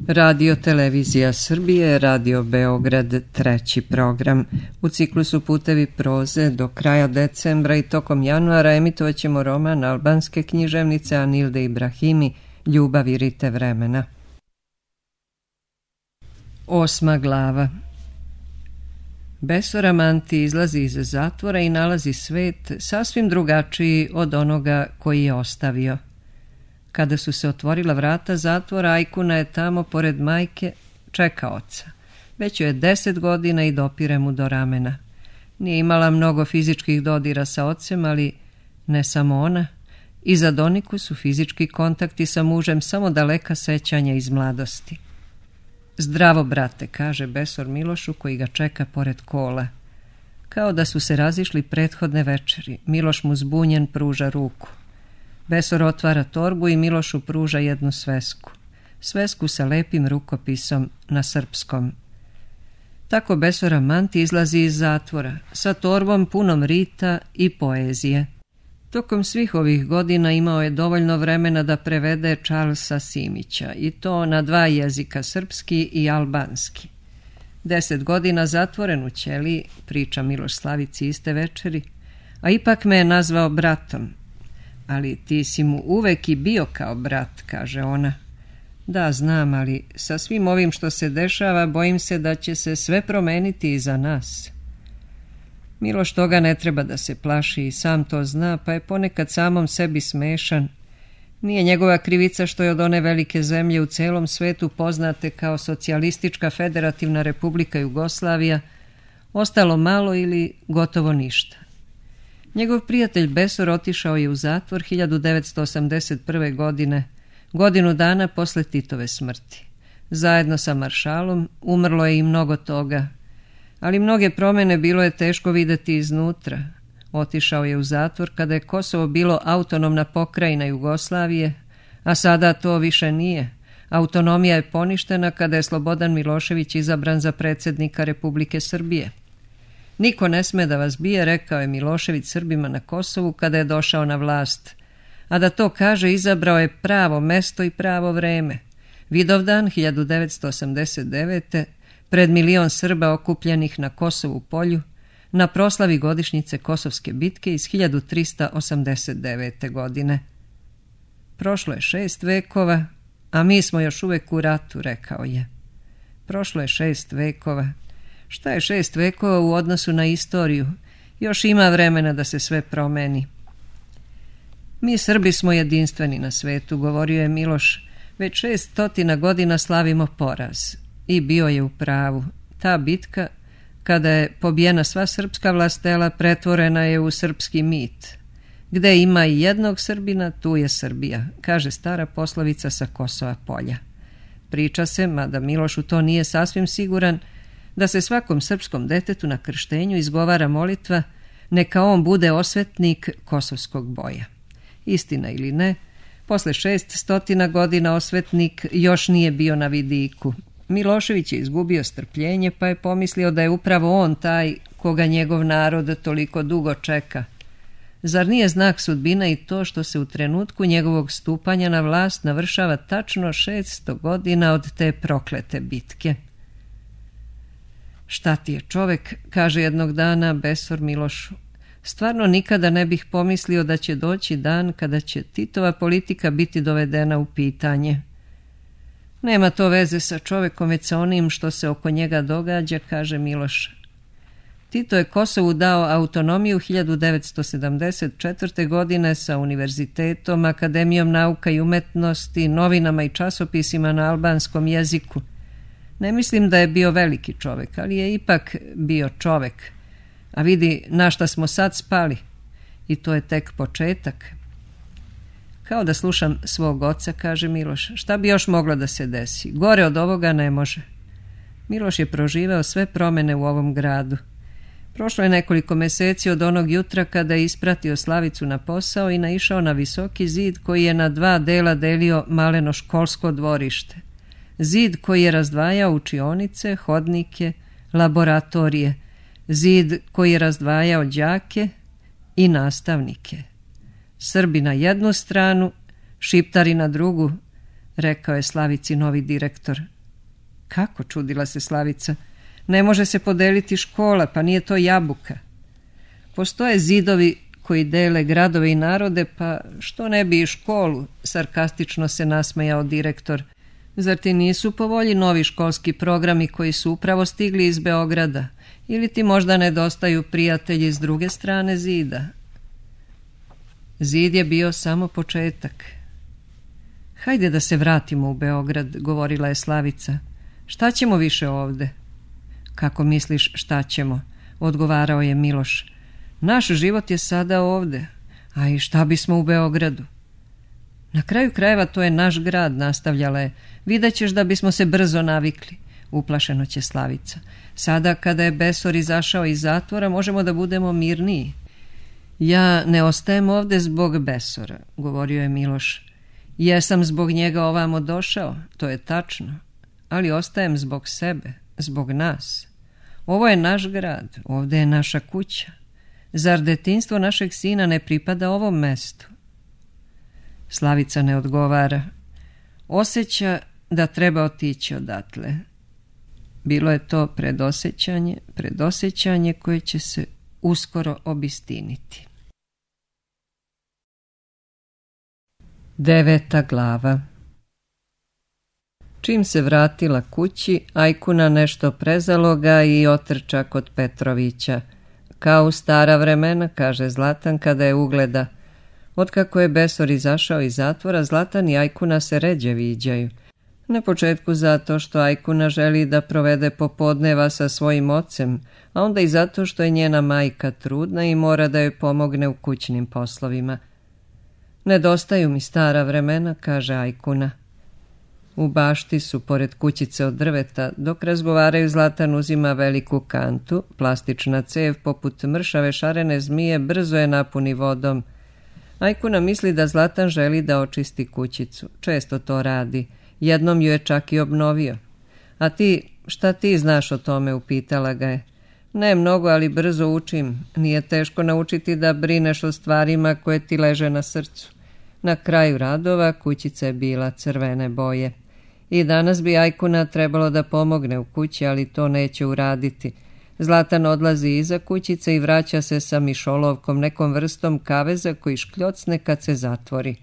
Radio Televizija Srbije, Radio Beograd, treći program. U ciklusu Putevi proze do kraja decembra i tokom januara emitovat ćemo roman albanske književnice Anilde Ibrahimi Ljubav i rite vremena. 8. glava. Besora Manti izlazi iz zatvora i nalazi svet sasvim drugačiji od onoga koji je ostavio. Kada su se otvorila vrata zatvora, Ajkuna je tamo pored majke čeka oca. Već joj je 10 godina i dopire mu do ramena. Nije imala mnogo fizičkih dodira sa ocem, ali ne samo ona. I za Doniku su fizički kontakti sa mužem samo daleka sećanja iz mladosti. Zdravo, brate, kaže Besor Milošu koji ga čeka pored kola. Kao da su se razišli prethodne večeri. Miloš mu zbunjen pruža ruku. Besor otvara torbu i Milošu pruža jednu svesku. Svesku sa lepim rukopisom na srpskom. Tako Besora Manti izlazi iz zatvora, sa torbom punom rita i poezije. Tokom svih ovih godina imao je dovoljno vremena da prevede Charlesa Simića, i to na 2 jezika, srpski i albanski. 10 godina zatvoren u ćeliji, priča Miloš Slavici iste večeri, a ipak me je nazvao bratom. Ali ti si mu uvek i bio kao brat, kaže ona. Da, znam, ali sa svim ovim što se dešava, bojim se da će se sve promeniti i za nas. Miloš toga ne treba da se plaši i sam to zna, pa je ponekad samom sebi smešan. Nije njegova krivica što je od one velike zemlje u celom svetu poznate kao Socijalistička federativna republika Jugoslavija ostalo malo ili gotovo ništa. Njegov prijatelj Besor otišao je u zatvor 1981. godine, godinu dana posle Titove smrti. Zajedno sa maršalom umrlo je i mnogo toga, ali mnoge promene bilo je teško videti iznutra. Otišao je u zatvor kada je Kosovo bilo autonomna pokrajina Jugoslavije, a sada to više nije. Autonomija je poništena kada je Slobodan Milošević izabran za predsjednika Republike Srbije. Niko ne sme da vas bije, rekao je Milošević Srbima na Kosovu kada je došao na vlast. A da to kaže, izabrao je pravo mesto i pravo vreme. Vidovdan 1989. pred 1 milion Srba okupljenih na Kosovu polju, na proslavi godišnjice Kosovske bitke iz 1389. godine. Prošlo je 6 vekova, a mi smo još uvek u ratu, rekao je. Prošlo je 6 vekova. Šta je 6 vekova u odnosu na istoriju? Još ima vremena da se sve promeni. Mi Srbi smo jedinstveni na svetu, govorio je Miloš. Već 600 godina slavimo poraz. I bio je u pravu. Ta bitka, kada je pobijena sva srpska vlastela, pretvorena je u srpski mit. Gde ima i jednog Srbina, tu je Srbija, kaže stara poslovica sa Kosova polja. Priča se, mada Miloš u to nije sasvim siguran, da se svakom srpskom detetu na krštenju izgovara molitva neka on bude osvetnik kosovskog boja. Istina ili ne, posle 600 godina osvetnik još nije bio na vidiku. Milošević je izgubio strpljenje, pa je pomislio da je upravo on taj koga njegov narod toliko dugo čeka. Zar nije znak sudbina i to što se u trenutku njegovog stupanja na vlast navršava tačno 600 godina od te proklete bitke? Šta ti je čovek, kaže jednog dana Besor Milošu. Stvarno nikada ne bih pomislio da će doći dan kada će Titova politika biti dovedena u pitanje. Nema to veze sa čovekom, već sa onim što se oko njega događa, kaže Miloš. Tito je Kosovu dao autonomiju 1974. godine sa univerzitetom, Akademijom nauka i umetnosti, novinama i časopisima na albanskom jeziku. Ne mislim da je bio veliki čovek, ali je ipak bio čovek. A vidi na šta smo sad spali. I to je tek početak. Kao da slušam svog oca, kaže Miloš. Šta bi još moglo da se desi? Gore od ovoga ne može. Miloš je proživeo sve promene u ovom gradu. Prošlo je nekoliko meseci od onog jutra kada je ispratio Slavicu na posao i naišao na visoki zid koji je na 2 dela delio maleno školsko dvorište. Zid koji je razdvajao učionice, hodnike, laboratorije. Zid koji je razdvajao đake i nastavnike. Srbi na jednu stranu, Šiptari na drugu, rekao je Slavici novi direktor. Kako, čudila se Slavica, ne može se podeliti škola, pa nije to jabuka. Postoje zidovi koji dele gradove i narode, pa što ne bi i školu, sarkastično se nasmejao direktor. Zar ti nisu po volji novi školski programi koji su upravo stigli iz Beograda? Ili ti možda nedostaju prijatelji s druge strane zida? Zid je bio samo početak. Hajde da se vratimo u Beograd, govorila je Slavica. Šta ćemo više ovde? Kako misliš šta ćemo? Odgovarao je Miloš. Naš život je sada ovde, a i šta bismo u Beogradu? Na kraju krajeva to je naš grad, nastavljala je. Videćeš da bismo se brzo navikli. Uplašeno će Slavica. Sada kada je Besor izašao iz zatvora možemo da budemo mirniji. Ja ne ostajem ovde zbog Besora, govorio je Miloš. Jesam zbog njega ovamo došao, to je tačno, ali ostajem zbog sebe, zbog nas. Ovo je naš grad, ovde je naša kuća. Zar detinjstvo našeg sina ne pripada ovom mestu? Slavica ne odgovara. Osjeća da treba otići odatle. Bilo je to predosjećanje koje će se uskoro obistiniti. 9. glava. Čim se vratila kući, Ajkuna nešto prezalo ga i otrča kod Petrovića. Kao u stara vremena, kaže Zlatan kada je ugleda. Otkako je Besor izašao iz zatvora, Zlatan i Ajkuna se ređe viđaju. Na početku zato što Ajkuna želi da provede popodneva sa svojim ocem, a onda i zato što je njena majka trudna i mora da joj pomogne u kućnim poslovima. Nedostaju mi stara vremena, kaže Ajkuna. U bašti su, pored kućice od drveta, dok razgovaraju Zlatan uzima veliku kantu, plastična cev poput mršave šarene zmije brzo je napuni vodom. Ajkuna misli da Zlatan želi da očisti kućicu, često to radi, jednom ju je čak i obnovio. A ti, šta ti znaš o tome, upitala ga je. Ne mnogo, ali brzo učim, nije teško naučiti da brineš o stvarima koje ti leže na srcu. Na kraju radova kućica je bila crvene boje. I danas bi Ajkuna trebalo da pomogne u kući, ali to neće uraditi. Zlatan odlazi iza kućice i vraća se sa mišolovkom, nekom vrstom kaveza koji škljocne kad se zatvori.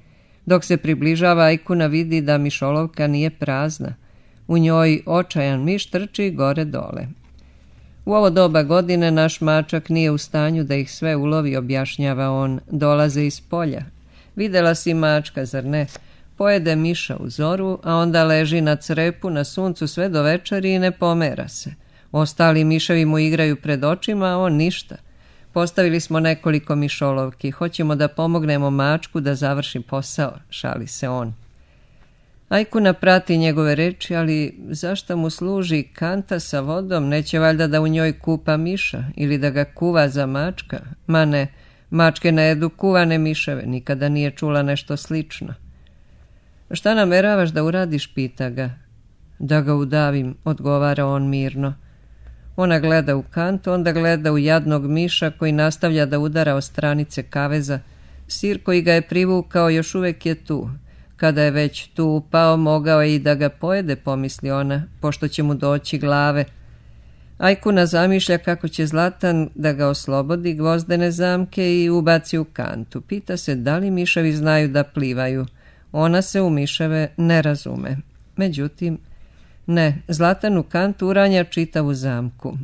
Dok se približava, Ajkuna vidi da mišolovka nije prazna. U njoj očajan miš trči gore dole. U ovo doba godine naš mačak nije u stanju da ih sve ulovi, objašnjava on, dolaze iz polja. Videla si mačka, zar ne? Pojede miša u zoru, a onda leži na crepu na suncu sve do večeri i ne pomera se. Ostali miševi mu igraju pred očima, a on ništa. Postavili smo nekoliko mišolovki, hoćemo da pomognemo mačku da završi posao, šali se on. Ajkuna prati njegove reči, ali zašto mu služi kanta sa vodom, neće valjda da u njoj kupa miša ili da ga kuva za mačka? Ma ne, mačke ne jedu kuvane miševe, nikada nije čula nešto slično. Šta nameravaš da uradiš, pita ga. Da ga udavim, odgovara on mirno. Ona gleda u kantu, onda gleda u jadnog miša koji nastavlja da udara o stranice kaveza. Sir koji ga je privukao još uvek je tu. Kada je već tu upao, mogao je i da ga pojede, pomisli ona, pošto će mu doći glave. Ajkuna zamišlja kako će Zlatan da ga oslobodi gvozdene zamke i ubaci u kantu. Pita se da li miševi znaju da plivaju. Ona se u miševe ne razume. Međutim, ne, Zlatan u kantu uranja čitavu zamku.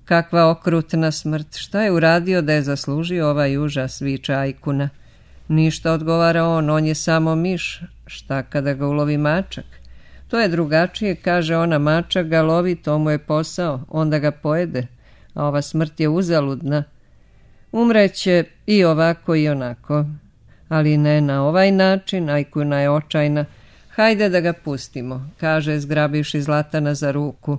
Kakva okrutna smrt, šta je uradio da je zaslužio ovaj užas, viče Ajkuna. Ništa, odgovara on je samo miš, šta kada ga ulovi mačak? To je drugačije, kaže ona, mačak ga lovi, to mu je posao, onda ga pojede, a ova smrt je uzaludna. Umreće i ovako i onako, ali ne na ovaj način, Ajkuna je očajna. Hajde da ga pustimo, kaže zgrabivši Zlatana za ruku.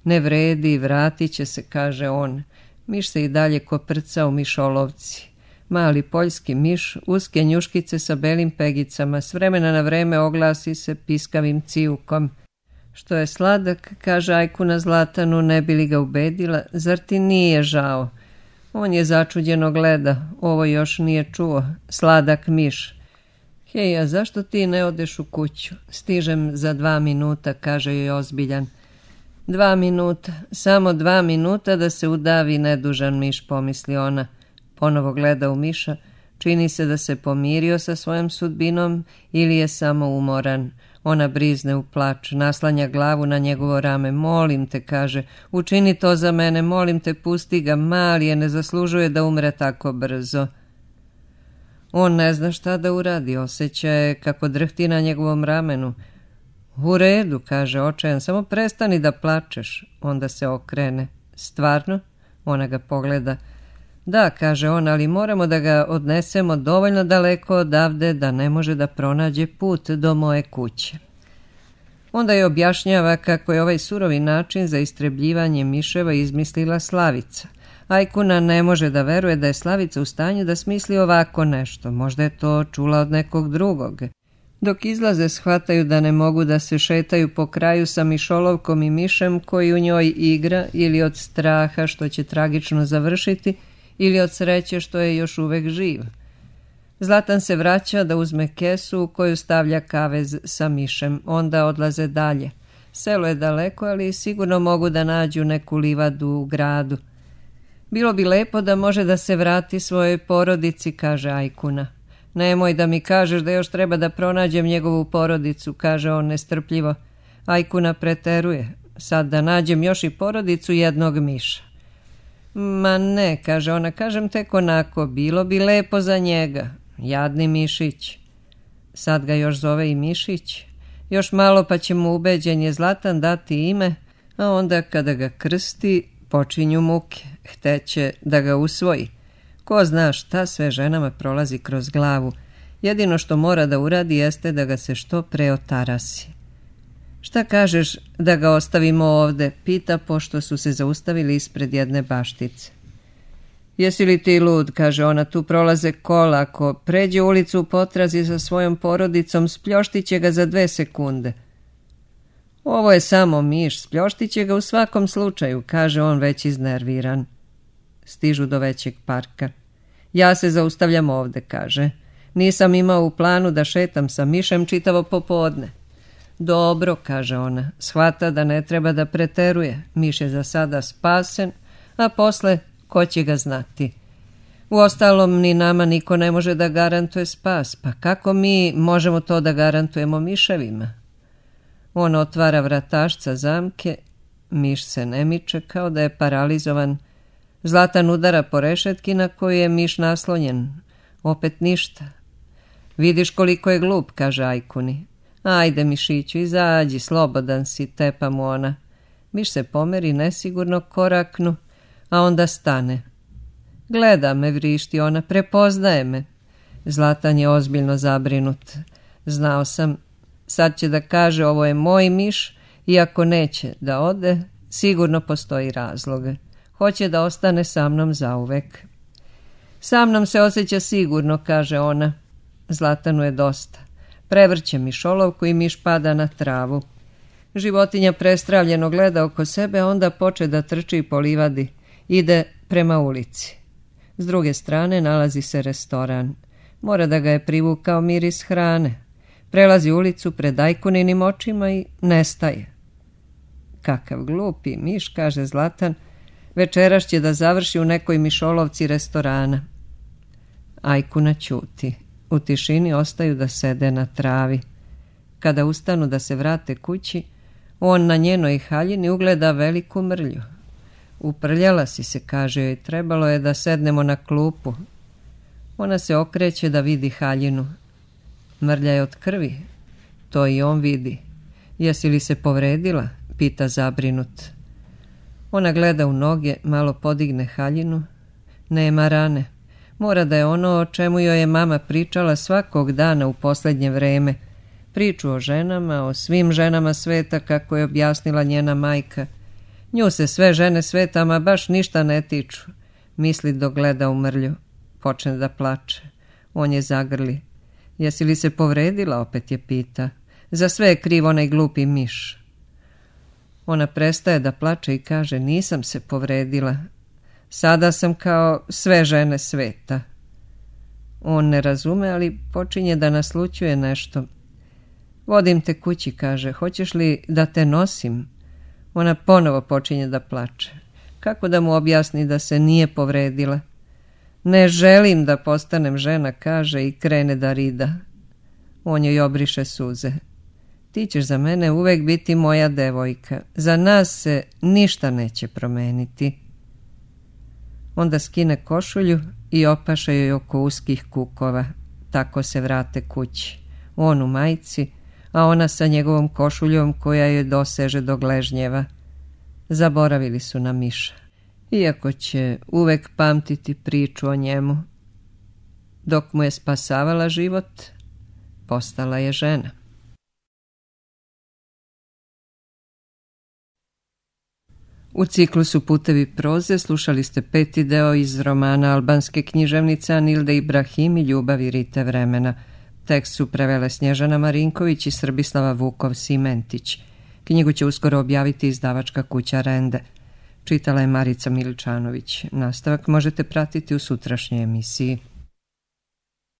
Ne vredi, vratit će se, kaže on. Miš se i dalje koprca u mišolovci. Mali poljski miš, uske njuškice sa belim pegicama, s vremena na vreme oglasi se piskavim cijukom. Što je sladak, kaže Ajkuna Zlatanu, ne bi li ga ubedila, zar ti nije žao? On je začuđeno gleda, ovo još nije čuo, sladak miš. Hej, a zašto ti ne odeš u kuću? Stižem za 2 minuta, kaže joj ozbiljan. 2 minuta, samo 2 minuta da se udavi nedužan miš, pomisli ona. Ponovo gleda u miša, čini se da se pomirio sa svojom sudbinom ili je samo umoran. Ona brizne u plač, naslanja glavu na njegovo rame. Molim te, kaže, učini to za mene, molim te, pusti ga, mali je, ne zaslužuje da umre tako brzo. On ne zna šta da uradi, osjeća je kako drhti na njegovom ramenu. U redu, kaže očajan, samo prestani da plačeš. Onda se okrene. Stvarno? Ona ga pogleda. Da, kaže on, ali moramo da ga odnesemo dovoljno daleko odavde da ne može da pronađe put do moje kuće. Onda je objašnjava kako je ovaj surovi način za istrebljivanje miševa izmislila Slavica. Ajkuna ne može da veruje da je Slavica u stanju da smisli ovako nešto. Možda je to čula od nekog drugog. Dok izlaze shvataju da ne mogu da se šetaju po kraju sa mišolovkom i mišem koji u njoj igra, ili od straha što će tragično završiti, ili od sreće što je još uvek živ. Zlatan se vraća da uzme kesu u koju stavlja kavez sa mišem. Onda odlaze dalje. Selo je daleko, ali sigurno mogu da nađu neku livadu u gradu. Bilo bi lepo da može da se vrati svojoj porodici, kaže Ajkuna. Nemoj da mi kažeš da još treba da pronađem njegovu porodicu, kaže on nestrpljivo. Ajkuna preteruje. Sad da nađem još i porodicu jednog miša. Ma ne, kaže ona, kažem tek onako, bilo bi lepo za njega. Jadni mišić. Sad ga još zove i mišić. Još malo pa će mu ubeđenje Zlatan dati ime, a onda kada ga krsti počinju muke. Hteće da ga usvoji. Ko zna šta sve ženama prolazi kroz glavu. Jedino što mora da uradi jeste da ga se što pre otarasi. Šta kažeš da ga ostavimo ovde? Pita pošto su se zaustavili ispred jedne baštice. Jesi li ti lud, kaže ona, tu prolaze kola, ako pređe ulicu u potrazi sa svojom porodicom, spljoštiće ga za 2 sekunde. Ovo je samo miš, spljoštiće ga u svakom slučaju, kaže on već iznerviran. Stižu do većeg parka. Ja se zaustavljam ovde, kaže. Nisam imao u planu da šetam sa mišem čitavo popodne. Dobro, kaže ona, shvata da ne treba da preteruje. Miš je za sada spasen, a posle ko će ga znati. Uostalom, ni nama niko ne može da garantuje spas, pa kako mi možemo to da garantujemo miševima? On otvara vratašca zamke, miš se ne miče kao da je paralizovan. Zlatan udara po rešetki na koju je miš naslonjen. Opet ništa. Vidiš koliko je glup, kaže Ajkuni. Ajde, mišiću, izađi, slobodan si, tepa mu ona. Miš se pomeri nesigurno koraknu, a onda stane. Gleda me, vrišti ona, prepoznaje me. Zlatan je ozbiljno zabrinut. Znao sam, sad će da kaže ovo je moj miš, i ako neće da ode, sigurno postoji razlog. Hoće da ostane sa mnom zauvek. Sa mnom se osjeća sigurno, kaže ona. Zlatanu je dosta. Prevrće mišolovku i miš pada na travu. Životinja prestravljeno gleda oko sebe, a onda poče da trči po livadi. Ide prema ulici. S druge strane nalazi se restoran. Mora da ga je privukao miris hrane. Prelazi ulicu pred Ajkuninim očima i nestaje. Kakav glupi miš, kaže Zlatan. Večeras će da završi u nekoj mišolovci restorana. Ajkuna ćuti. U tišini ostaju da sede na travi. Kada ustanu da se vrate kući, on na njenoj haljini ugleda veliku mrlju. Uprljala si se, kaže joj, trebalo je da sednemo na klupu. Ona se okreće da vidi haljinu. Mrlja je od krvi. To i on vidi. Jesi li se povredila? Pita zabrinut. Ona gleda u noge, malo podigne haljinu. Nema rane. Mora da je ono o čemu joj je mama pričala svakog dana u posljednje vreme. Priču o ženama, o svim ženama sveta, kako je objasnila njena majka. Nju se sve žene svetama baš ništa ne tiču. Misli dok gleda u mrlju. Počne da plače. On je zagrli. Jesi li se povredila? Opet je pita. Za sve je kriv onaj glupi miš. Ona prestaje da plače i kaže, nisam se povredila. Sada sam kao sve žene sveta. On ne razume, ali počinje da naslućuje nešto. Vodim te kući, kaže, hoćeš li da te nosim? Ona ponovo počinje da plače. Kako da mu objasni da se nije povredila? Ne želim da postanem žena, kaže i krene da rida. On joj obriše suze. Ti ćeš za mene uvek biti moja devojka. Za nas se ništa neće promeniti. Onda skine košulju i opaša joj oko uskih kukova. Tako se vrate kući. On u majici, a ona sa njegovom košuljom koja joj doseže do gležnjeva. Zaboravili su na Miša. Iako će uvek pamtiti priču o njemu. Dok mu je spasavala život, postala je žena. U ciklusu Putevi proze slušali ste 5. deo iz romana albanske književnice Anilde Ibrahim i Ljubavi Rite vremena. Tekst su prevele Snježana Marinković i Srbislava Vukov-Simentić. Knjigu će uskoro objaviti izdavačka kuća Rende. Čitala je Marica Miličanović. Nastavak možete pratiti u sutrašnjoj emisiji.